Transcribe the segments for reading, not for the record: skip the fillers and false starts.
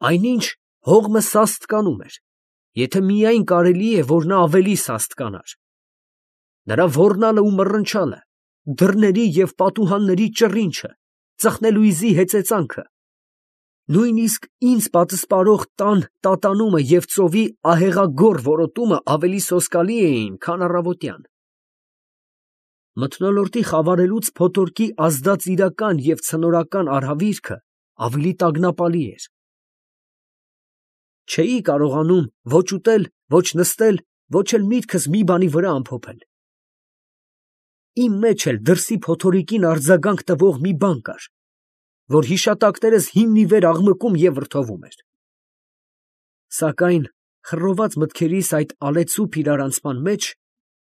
Այնինչ հողմը սաստկանում էր, եթե միայն կարելի է, որ նա ավելի սաստկանար. նրա ոռնալը ու մռնչալը, դռների և պատուհանների ճռինչը, ծխնելույզի հեծեծանքը, նույնիսկ ինձ պատսպարող տան տատանումը և ծովի ահեղագոռ որոտումը ավելի սոսկալի էին, քան առավոտյան. մթնոլորտի խավարելուց փոթորկի ազդած իրական և ցնորական արհավիրքը ավելի տագնապալի էր. չէի կարողանում ոչ ուտել, ոչ նստել, ոչ էլ միտքս մի բանի վրա ամփոփել. իմ մեջ էլ դրսի փոթորիկին արձագանք տվող մի բան կար, որ հիշատակներս հիմն ի վեր աղմկում և վրդովում էր. սակայն խռոված մտքերիս այդ ալեցուփ իրարանցման մեջ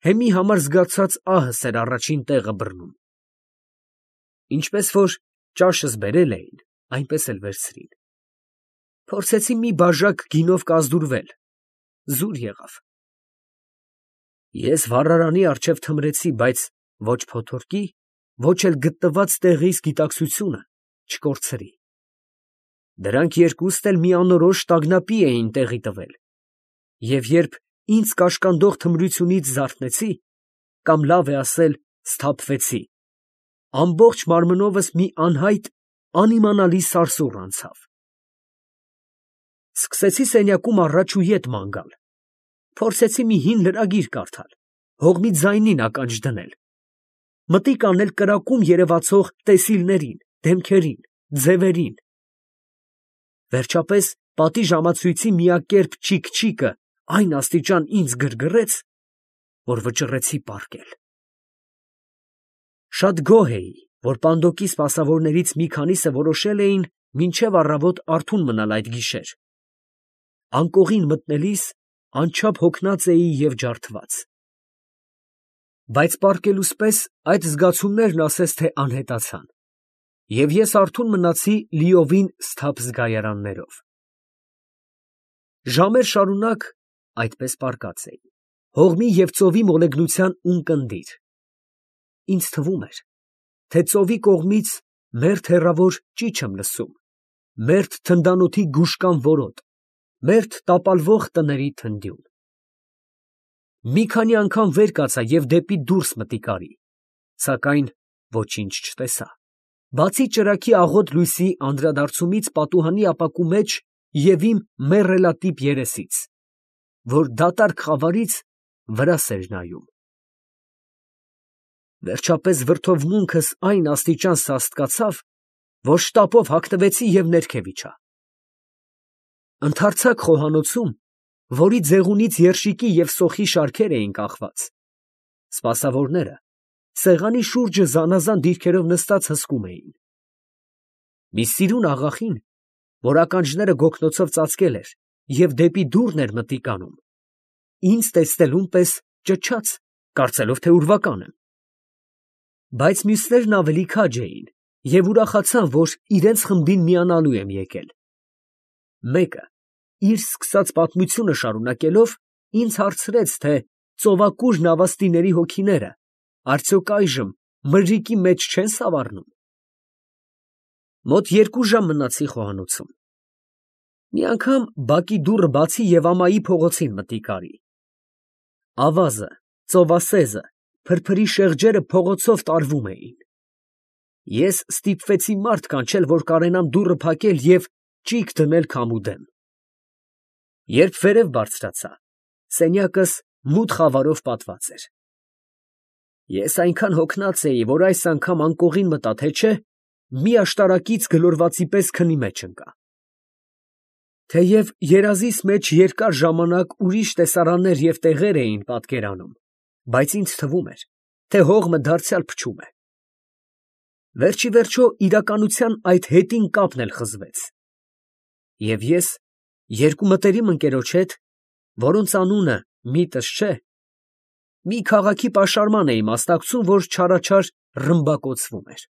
հեմի համար զգացած ահս էր առաջին տեղը բռնում. ինչպես որ ճաշս բերել էին, այնպես էլ վերցրին. փորձեցի մի բաժակ գինով կազդուրվել, զուր եղավ. ես վառարանի առջև թմրեցի, բայց ոչ փոթորկի, ոչ էլ գտնված տեղիս գիտակցությունը չկորցրի. դրանք երկուստ էլ մի անորոշ տագնապի էին տեղի տվել, և երբ ինձ կաշկանդող թմրությունից զարթնեցի, կամ լավ է ասել սթափվեցի, ամբողջ մարմնովս մի անհայտ, անիմանալի սարսուռ անցավ. սկսեցի սենյակում առաջ ու ետ ման գալ, փորձեցի մի հին լրագիր կարդալ, հողմի ձայնին ականջ դնել, մտիկ անել կրակում երևացող տեսիլներին, դեմքերին, ձևերին. վերջապես պատի ժամացույցի միակերպ չիք֊չիկը այն աստիճան ինձ գրգռեց, որ վճռեցի պառկել. շատ գոհ էի, որ պանդոկի սպասավորներից մի քանիսը որոշել էին մինչև առավոտ արթուն մնալ այդ գիշեր. անկողին մտնելիս անչափ հոգնած էի և ջարդված. բայց պառկելուս պես այդ զգացումներն ասես թե անհետացան, և ես արթուն մնացի լիովին սթափ զգայարաններով. ժամեր շարունակ այդպես պառկած էի, հողմի և ծովի մոլեգնության ունկնդիր. ինձ թվում էր, թե ծովի կողմից մերթ հեռավոր ճիչ եմ լսում, մերթ թնդանոթի գուշկան որոտ, մերթ տապալվող տների թնդյուն. մի քանի անգամ վեր կացա և դեպի դուրս մտիկարի, սակայն ոչինչ չտեսա, բացի ճրագի աղոտ լույսի անդրադարձումից պատուհանի ապակու մեջ և իմ մեռելատիպ երեսից, որ դատարկ խավարից վրաս էր նայում. վերջապես վրդովմունքս այն աստիճան սաստկացավ, որ շտապով հագնվեցի և ներքև իջա. ընդարձակ խոհանոցում, որի ձեղունից երշիկի և սոխի շարքեր էին կախված, սպասավորները սեղանի շուրջը զանազան դիրքերով նստած հսկում էին. մի սիրուն աղախին, որ ականջները գոգնոցով ծածկել էր և դեպի դուռն էր մտիկ անում, ինձ տեսնելուն պես ճչաց, կարծելով, թե ուրվական եմ. բայց մյուսներն ավելի քաջ էին և ուրախացան, որ իրենց խմբին միանալու եմ եկել. մեկը, իր սկսած պատմությունը շարունակելով, ինձ հարցրեց, թե ծովակուր նավաստիների հոգիները արդյոք այժմ մրրիկի մեջ չեն սավառնում. մոտ 2 ժամ մնացի խոհանոցում. մի անգամ բակի դուռը բացի և ամայի փողոցին մտիկ արի. ավազը, ծովասեզը, փրփրի շեղջերը փողոցով տարվում էին. ես ստիպվեցի մարդ կանչել, որ կարենամ դուռը փակել և ճիգ դնել քամու դեմ. երբ վերև բարձրացա, սենյակս մութ խավարով պատված էր. ես այնքան հոգնած էի, որ այս անգամ անկողին մտա, թե չէ, մի աշտարակից գլորվածի պես քնի մեջ ընկա. թեև երազիս մեջ երկար ժամանակ ուրիշ տեսարաններ և տեղեր էին պատկերանում, բայց ինձ թվում էր, թե հողմը դարձյալ փչում է. վերջիվերջո իրականության այդ հետին կապն էլ խզվեց, և ես երկու մտերիմ ընկերոջ հետ, որոնց անունը միտս չէ, մի քաղաքի պաշարման էի մասնակցում, որ չարաչար ռմբակոծվում էր.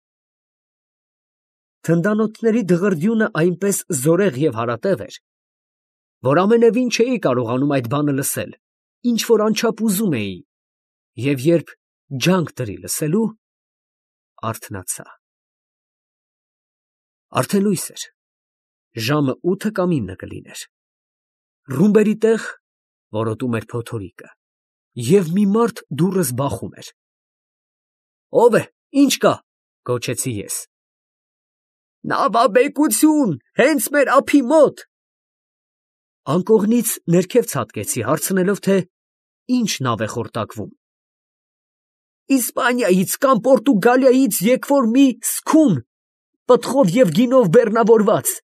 թնդանոթների դղրդյունը այնպես զորեղ և հարատև էր, որ ամենևին չէի կարողանում այդ բանը լսել, ինչ որ անչափ ուզում էի, և երբ ջանք դրի լսելու, արթնացա. արդեն լույս էր, Ժամը 8 կամ 9 կլիներ։ Ռումբերի տեղ որոտում էր փոթորիկը, և մի մարդ դուռս բախում էր։ «Ո՞վ է, ի՞նչ կա», գոչեցի ես։ «Նավաբեկություն, հենց մեր ափի մոտ»։ Անկողնից ներքև ցատկեցի, հարցնելով, թե ինչ նավ է խորտակվում։ «Իսպանիայից կամ Պորտուգալիայից եկվոր մի սքուն, պտղով և գինով բեռնավորված։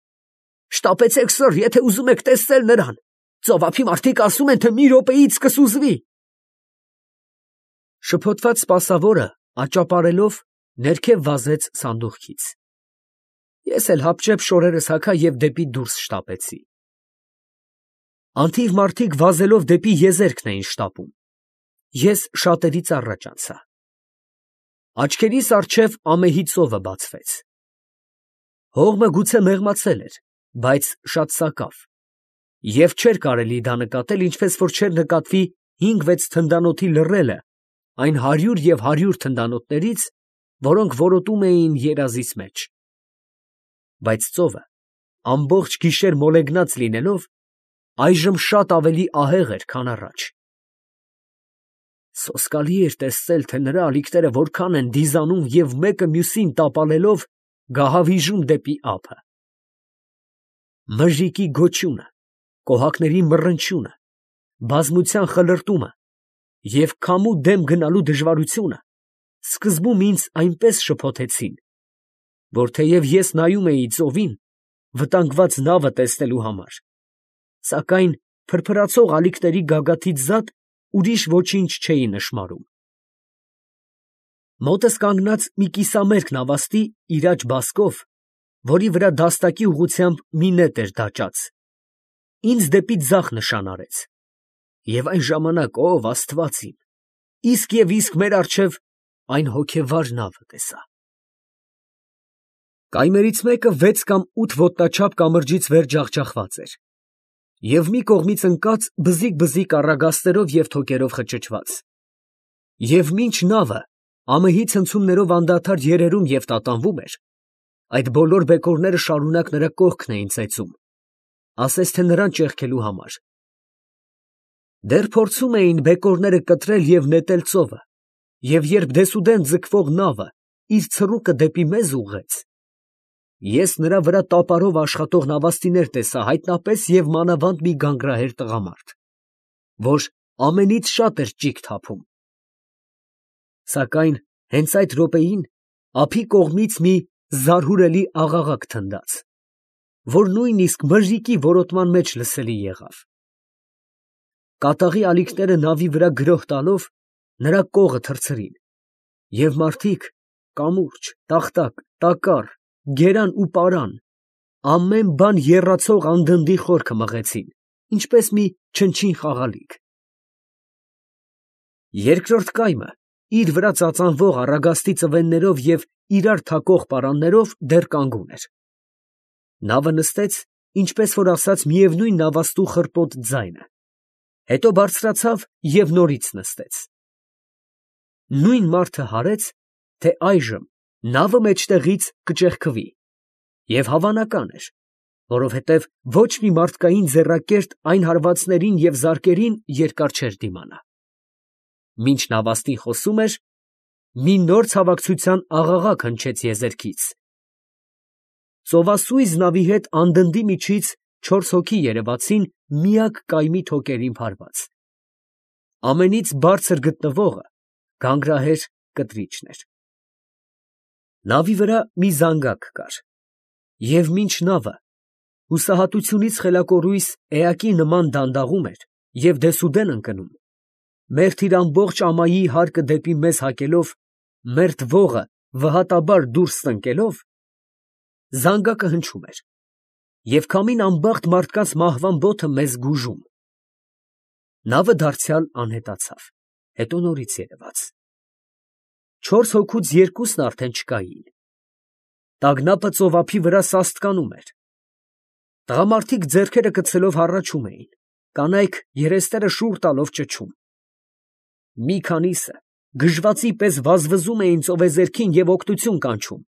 Շտապեցեք, սըր, եթե ուզում եք տեսնել նրան. ծովափի մարդիկ ասում են, թե մի րոպեից կսուզվի»։ Շփոթված սպասավորը աճապարելով ներքև վազեց սանդուղքից։ Ես էլ հապճեպ շորերս հագա և դեպի դուրս շտապեցի։ Անթիվ մարդիկ վազելով դեպի եզերքն էին շտապում։ Ես շատերից առաջ անցա։ Աչքերիս առջև ամեհի ծովը բացվեց։ Հողմը գուցե մեղմացել էր, բայց շատ սակավ, և չէր կարելի դա նկատել, ինչպես որ չէր նկատվի 5-6 թնդանոթի լռելը այն 100 և 100 թնդանոթներից, որոնք որոտում էին երազիս մեջ։ Բայց ծովը ամբողջ գիշեր մոլեգնած լինելով, այժմ շատ ավելի ահեղ էր, քան առաջ։ Սոսկալի էր տեսնել, թե նրա ալիքները որքան են դիզանում և մեկը մյուսին տապալելով գահավիժում դեպի ափը։ Մժիկի գոչյունը, կոհակների մռնչյունը, բազմության խլրտումը և քամու դեմ գնալու դժվարությունը սկզբում ինձ այնպես շփոթեցին, որ թեև ես նայում էի ծովին, վտանգված նավը տեսնելու համար, սակայն փրփրացող ալիքների գագաթից զատ ուրիշ ոչինչ չէի նշմարում։ Մոտս կանգնած մի կիսամերկ նավաստի իր աջ բազկով, որի վրա դաստակի ուղղությամբ մի նետ էր դաջած, ինձ դեպի ձախ նշան արեց, և այն ժամանակ, ով Աստված իմ, իսկ և իսկ մեր առջև այն հոգևար նավը տեսա։ Կայմերից մեկը 6 կամ 8 ոտնաչափ կամրջից վեր ջախջախված էր, և մի կողմից ընկած բզիկ առագաստերով և թոկերով խճճված, և մինչ նավը ամեհի ցնցումներով անդադար երերում և տատանվում էր, այդ բոլոր բեկորները շարունակ նրա կողքն էին ծեծում, ասես թե նրան ճեղքելու համար։ Դեռ փորձում էին բեկորները կտրել և նետել ծովը, և երբ դեսուդեն ձգվող նավը իր ցռուկը դեպի մեզ ուղղեց, ես նրա վրա տապարով աշխատող նավաստիներ տեսա հայտնապես և մանավանդ մի գանգրահեր տղամարդ, որ ամենից շատ էր ճիգ թափում։ Սակայն հենց այդ րոպեին ափի կողմից մի զարհուրելի աղաղակ թնդաց, որ նույնիսկ մժիկի որոտման մեջ լսելի եղավ։ Կատաղի ալիքները նավի վրա գրոհ տալով, նրա կողը թռցրին, և մարդիկ կամուրջ, տախտակ, տակառ, գերան ու պարան, ամեն բան եռացող անդնդի խորքը մղեցին, ինչպես մի չնչին խաղալիք։ Երկրորդ կայմը իր վրա ծածանվող առագաստի ծվեններով և իրար թակող պարաններով դեռ կանգուն էր։ Նավը նստեց, ինչպես որ ասած, միևնույն նավաստու խռպոտ ձայնը, հետո բարձրացավ և նորից նստեց։ Նույն մարդը հարեց, թե այժմ նավը մեջտեղից կճեղքվի, և հավանական էր, որովհետև ոչ մի մարդկային ձեռակերտ այն հարվածներին և զարկերին երկար չէր դիմանա։ Մինչ նավաստին խոսում էր, մի նոր ցավակցության աղաղակ հնչեց եզերքից։ Ծովասույզ նավի հետ անդնդի միջից 4 հոգի երևացին միակ կայմի թոկերին փարված։ Ամենից բարձր գտնվողը գանգրահեր կտրիչն էր։ Նավի վրա մի զանգակ կար, և մինչ նավը հուսահատությունից խելակորույս էակի նման դանդաղում էր և դեսուդեն ընկնում, մերթ իր ամբողջ ամայի հարկը դեպի մեզ հակելով, մերթ ողը վհատաբար դուրս տնկելով, զանգակը հնչում էր, և քամին անբախտ մարդկանց մահվան բոթը մեզ գուժում։ Նավը դարձյալ անհետացավ, հետո նորից երևաց։ 4 հոգուց երկուսն արդեն չկային։ Տագնապը ծովափի վրա սաստկանում էր։ Տղամարդիկ ձեռքերը գցելով հառաչում էին, կանայք երեսները շուռ տալով ճչում։ Մի քանիսը գժվածի պես վազվզում էին ծովեզերքին և օգնություն կանչում,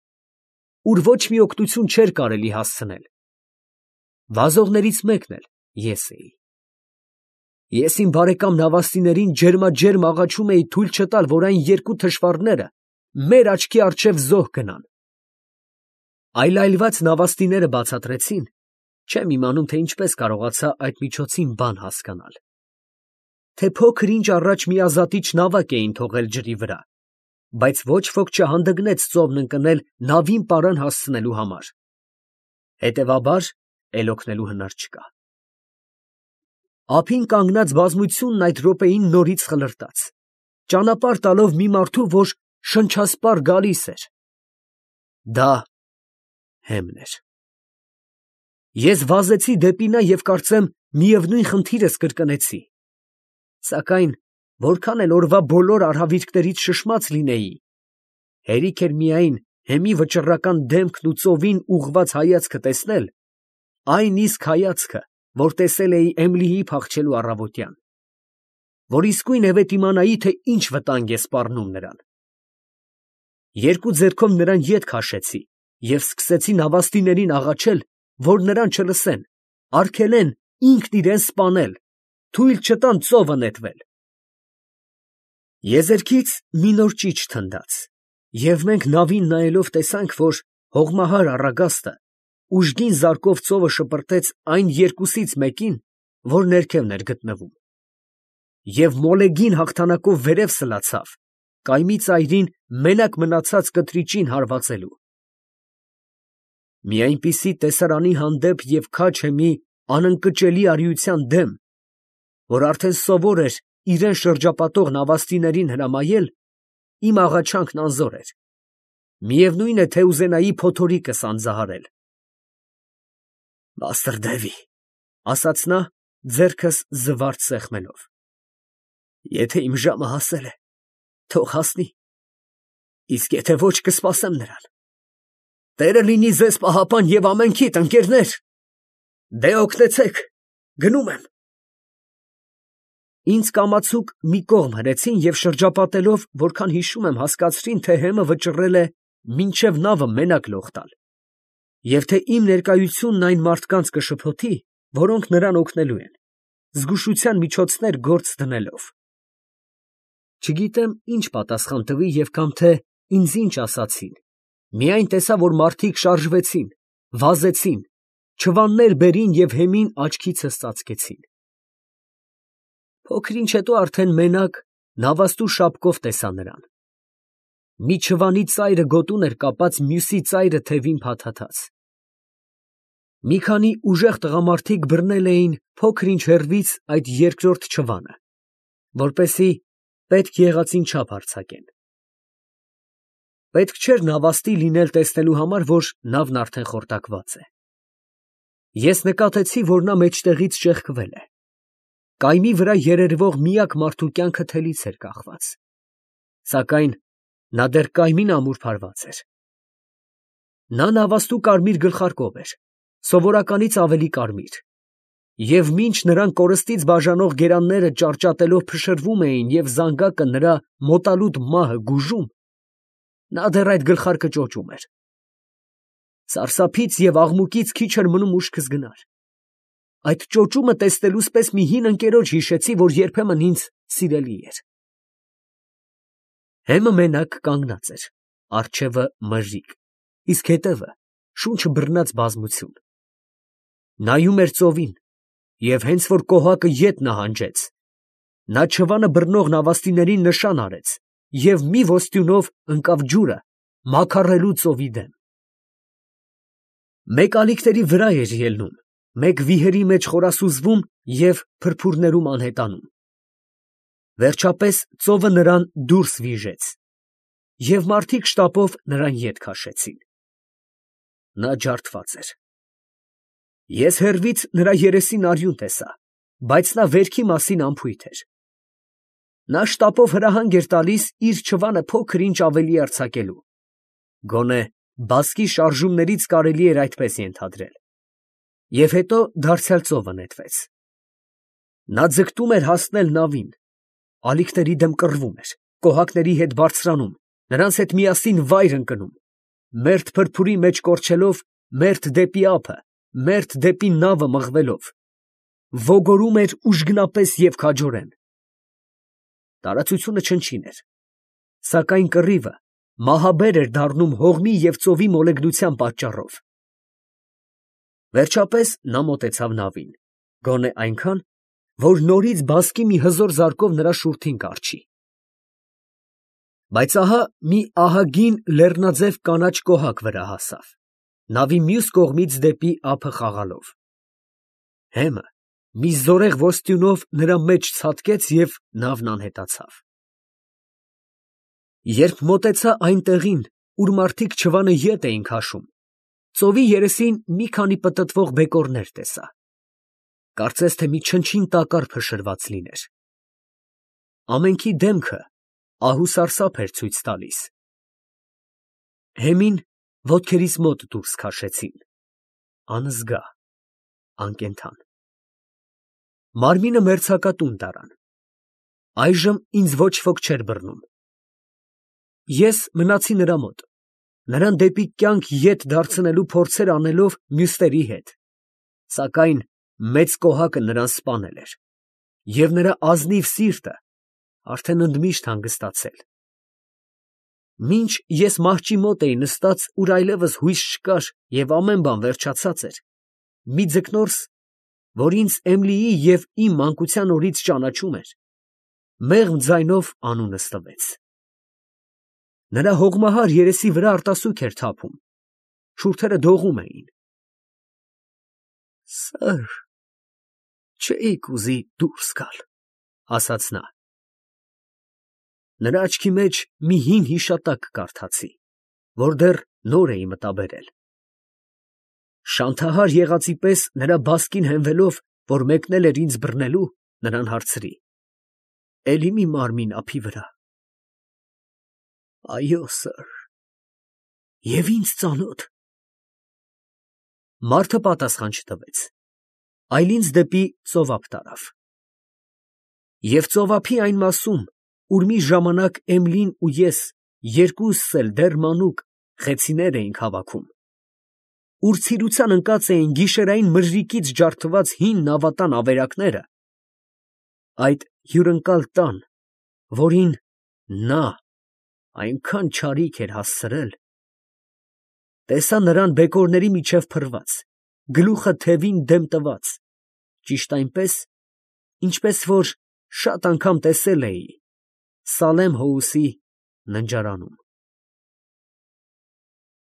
ուր ոչ մի օգնություն չէր կարելի հասցնել։ Վազողներից մեկն էլ ես էի։ Ես իմ բարեկամ նավաստիներին ջերմաջերմ աղաչում էի թույլ չտալ, որ այն երկու թշվառները մեր աչքի առջև զոհ գնան։ Այլայլված նավաստիները բացատրեցին, չեմ իմանում, թե ինչպես կարողացա այդ միջոցին բան հասկանալ, թե փոքր ինչ առաջ մի ազատիչ նավակ էին թողել ջրի վրա, բայց ոչ ոք չհանդգնեց ծովն ընկնել նավին պարան հասցնելու համար։ Հետևաբար, էլ օգնելու հնար չկա։ Ափին կանգնած բազմությունն այդ րոպեին նորից խլրտաց, ճանապարհ տալով մի մարդու, որ շնչասպառ գալիս էր։ Դա հեմն էր։ Ես վազեցի դեպի նա և կարծեմ միևնույն խնդիրս կրկնեցի։ Սակայն որքան էլ օրվա բոլոր արհավիրքներից շշմած լինեի, հերիք էր միայն հեմի վճռական դեմքն ու ծովին ուղղված հայացքը տեսնել, այն իսկ հայացքը, որ տեսել էի Էմիլիի փախչելու առավոտյան, որ իսկույն հետ իմանայի, թե ինչ վտանգ է սպառնում նրան։ Երկու ձեռքով նրան ետ քաշեցի և սկսեցի նավաստիներին աղաչել, որ նրան չլսեն, արգելեն ինքն իրան սպանել, թույլ չտան ծովը նետվել։ Եզերքից մի նոր ճիչ թնդաց, և մենք նավին նայելով տեսանք, որ հողմահար առագաստը ուժգին զարկով ծովը շպրտեց այն երկուսից մեկին, որ ներքևն էր գտնվում, և մոլեգին հաղթանակով վերև սլացավ, կայմի ծայրին մենակ մնացած կտրիճին հարվածելու։ Մի այնպիսի տեսարանի հանդեպ և քաջ հեմի անընկճելի արիության դեմ, որ արդեն սովոր էր իրան շրջապատող նավաստիներին հրամայել, իմ աղաչանքն անզոր էր, միևնույն է, թե ուզենայի փոթորիկս անձահարել։ «Մաստր Դևի, ֊ ասաց նա, ձեռքս զվարթ սեղմելով, ֊ եթե իմ ժամը հասել է, թող հասնի, իսկ եթե ոչ, կսպասեմ նրան։ Տերը լինի ձեզ պահապան և ամենքիդ, ընկերներ, դե օգնեցեք, գնում եմ»։ Ինձ կամացուկ մի կողմ հրեցին և շրջապատելով, որքան հիշում եմ, հասկացրին, թե հեմը վճռել է մինչև նավը մենակ լող տալ, և թե իմ ներկայությունն այն մարդկանց կշփոթի, որոնք նրան օգնելու են, զգուշության միջոցներ գործ դնելով։ Չգիտեմ ինչ պատասխան տվի և կամ թե ինձ ինչ ասացին, միայն տեսա, որ մարդիկ շարժվեցին, վազեցին, չվաններ բերին և հեմին աչքիցս ծածկեցին։ Փոքր ինչ հետո արդեն մենակ նավաստու շապկով տեսա նրան։ Մի չվանի ծայրը գոտուն էր կապած, մյուսի ծայրը թևին փաթաթած։ Մի քանի ուժեղ տղամարդիկ բռնել էին փոքր ինչ հեռվից այդ երկրորդ չվանը, որպեսզի պետք եղածին չափ արձակեն։ Պետք չէր նավաստի լինել տեսնելու համար, որ նավն արդեն խորտակված է։ Ես նկատեցի, որ նա մեջտեղից ճեղքվել է։ Կայմի վրա երերվող միակ մարդու կյանքը թելից էր կախված, սակայն նա դեռ կայմին ամուրփարված էր։ Նա նավաստու կարմիր գլխարկով էր, սովորականից ավելի կարմիր, և մինչ նրան կորստից բաժանող գերանները ճարճատելով փշրվում էին և զանգակը նրա մոտալուտ մահը գուժում, նա դեռ այդ գլխարկը ճոճում էր։ Սարսափից և աղմուկից քիչ էր մնում ուշքս գնար։ Այդ ճոճումը տեսնելուց պես մի հին ընկերոջ հիշեցի, որ երբեմն ինձ սիրելի էր։ Հեմը մենակ կանգնած էր, առջևը մրրիկ, իսկ հետևը շունչը բռնած բազմություն։ Նայում էր ծովին, և հենց որ կոհակը ետ նահանջեց, նա չվանը բռնող նավաստիներին նշան արեց և մի ոսტյունով ընկավ ջուրը մաքարելու ծովի դեմ։ Մեկ ալիքների վրա էր ելնում, մեկ վիհերի մեջ խորասուզվում և փրփուրներում անհետանում։ Վերջապես ծովը նրան դուրս վիժեց, և մարդիկ շտապով նրան ետ քաշեցին։ Նա ջարդված էր։ Ես հեռվից նրա երեսին արյուն տեսա, բայց նա վերքի մասին անփույթ էր։ Նա շտապով հրահանգ էր տալիս իր չվանը փոքր ինչ ավելի արձակելու, գոնե բասկի շարժումներից կարելի էր այդպես ենթադրել, և հետո դարձյալ ծովը նետվեց։ Նա ձգտում էր հասնել նավին, ալիքների դեմ կռվում էր, կոհակների հետ բարձրանում, նրանց հետ միասին վայր ընկնում, մերթ փրփուրի մեջ կորչելով, մերթ դեպի ափը, մերթ դեպի նավը մղվելով, ոգորում էր ուժգնապես և քաջորեն։ Տարածությունը չնչին էր, սակայն կռիվը մահաբեր էր դառնում հողմի և ծովի մոլեգնության պատճառով։ Վերջապես նա մոտեցավ նավին, գոնե այնքան, որ նորից բասկի մի հզոր զարկով նրա շուրթին կառչի։ Բայց ահա մի ահագին լեռնաձև կանաչ կոհակ վրա հասավ, նավի մյուս կողմից դեպի ափը խաղալով։ Հեմը մի զորեղ ոսტյունով նրա մեջ ցատկեց և նավն անհետացավ։ Երբ մոտեցա այն տեղին, ուր մարդիկ չվանը ետ էին քաշում, ծովի երեսին մի քանի պտտվող բեկորներ տեսա, կարծես թե մի չնչին տակառ փշրված լիներ։ Ամենքի դեմքը ահուսարսափ էր ցույց տալիս։ Հեմին ոտքերիս մոտ դուրս քաշեցին, անզգա, անկենդան։ Մարմինը մերձակա տուն տարան, այժմ ինձ ոչ ոք չէր բռնում։ Ես մնացի նրա մոտ, նրան դեպի կյանք ետ դարձնելու փորձեր անելով մյուսների հետ, սակայն մեծ կոհակը նրան սպանել էր, և նրա ազնիվ սիրտը արդեն ընդմիշտ հանգստացել։ Մինչ ես մահճի մոտ էի նստած, ուր այլևս հույս չկար և ամեն բան վերջացած էր, մի ձկնորս, որ ինձ Էմլիի և իմ մանկության օրից ճանաչում էր, մեղմ ձայնով անունս տվեց։ Նրա հողմահար երեսի վրա արտասուք էր թափում, շուրթերը դողում էին։ «Սըր, չէիք ուզի դուրս գալ», ֊ ասաց նա։ Նրա աչքի մեջ մի հին հիշատակ կարդացի, որ դեռ նոր էի մտաբերել։ Շանթահար եղածի պես նրա բասկին հենվելով, որ մեկնել էր ինձ բռնելու, նրան հարցրի. «Էլի մի մարմին ափի վրա»։ «Այո, սըր, և ինձ ծանոթ»։ Մարդը պատասխան չտվեց, այլ ինձ դեպի ծովափ տարավ։ Եվ ծովափի այն մասում, ուր մի ժամանակ Էմլին ու ես երկուսս էլ դեռ մանուկ խեցիներ էինք հավաքում, ուր ցիրության ընկած էին գիշերային մրրիկից ջարդված հին նավատան ավերակները, այդ հյուրընկալ տան, որին նա այնքան չարիք էր հասցրել, տեսա նրան բեկորների միջև փռված, գլուխը թևին դեմ տված, ճիշտ այնպես, ինչպես որ շատ անգամ տեսել էի Սալեմ Հոուսի ննջարանում։